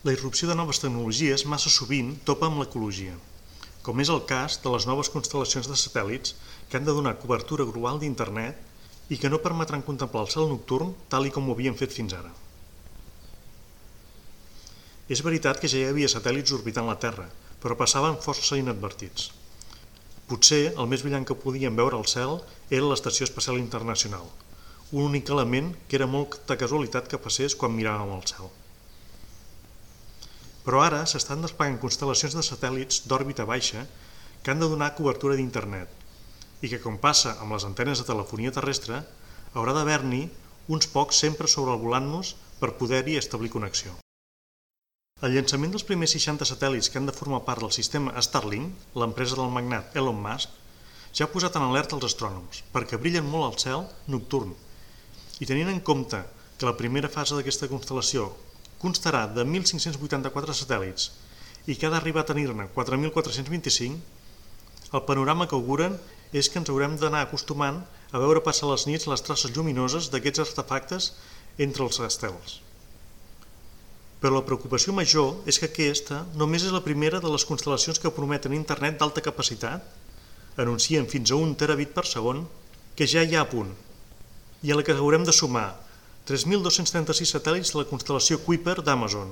La irrupció de noves tecnologies massa sovint topa amb l'ecologia, com és el cas de les noves constel·lacions de satèl·lits que han de donar cobertura global d'internet i que no permetran contemplar el cel nocturn tal com ho havien fet fins ara. És veritat que ja hi havia satèl·lits orbitant la Terra, però passaven força inadvertits. Potser el més brillant que podíem veure al cel era l'Estació Espacial Internacional, un únic element que era molta casualitat que passés quan miràvem al cel. Però ara s'estan desplegant constel·lacions de satèl·lits d'òrbita baixa que han de donar cobertura d'internet i que, com passa amb les antenes de telefonia terrestre, haurà d'haver-n'hi uns pocs sempre sobrevolant-nos per poder-hi establir connexió. El llançament dels primers 60 satèl·lits que han de formar part del sistema Starlink, l'empresa del magnat Elon Musk, ja ha posat en alerta els astrònoms perquè brillen molt al cel nocturn i tenint en compte que la primera fase d'aquesta constel·lació constarà de 1.584 satèl·lits i que ha d'arribar a tenir-ne 4.425, el panorama que auguren és que ens haurem d'anar acostumant a veure passar les nits les traces lluminoses d'aquests artefactes entre els estels. Però la preocupació major és que aquesta només és la primera de les constel·lacions que prometen internet d'alta capacitat, anuncien fins a 1 terabit per segon, que ja hi ha a punt, i a la que haurem de sumar 3.236 satèl·lits de la constel·lació Kuiper d'Amazon,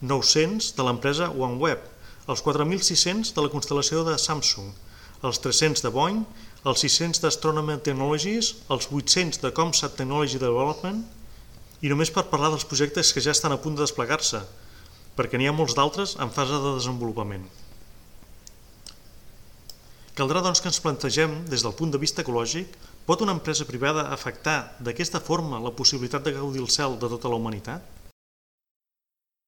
900 de l'empresa OneWeb, els 4.600 de la constel·lació de Samsung, els 300 de Boeing, els 600 d'Astronomer Technologies, els 800 de ComSat Technology Development, i només per parlar dels projectes que ja estan a punt de desplegar-se, perquè n'hi ha molts d'altres en fase de desenvolupament. Caldrà doncs que ens plantegem, des del punt de vista ecològic, pot una empresa privada afectar d'aquesta forma la possibilitat de gaudir el cel de tota la humanitat?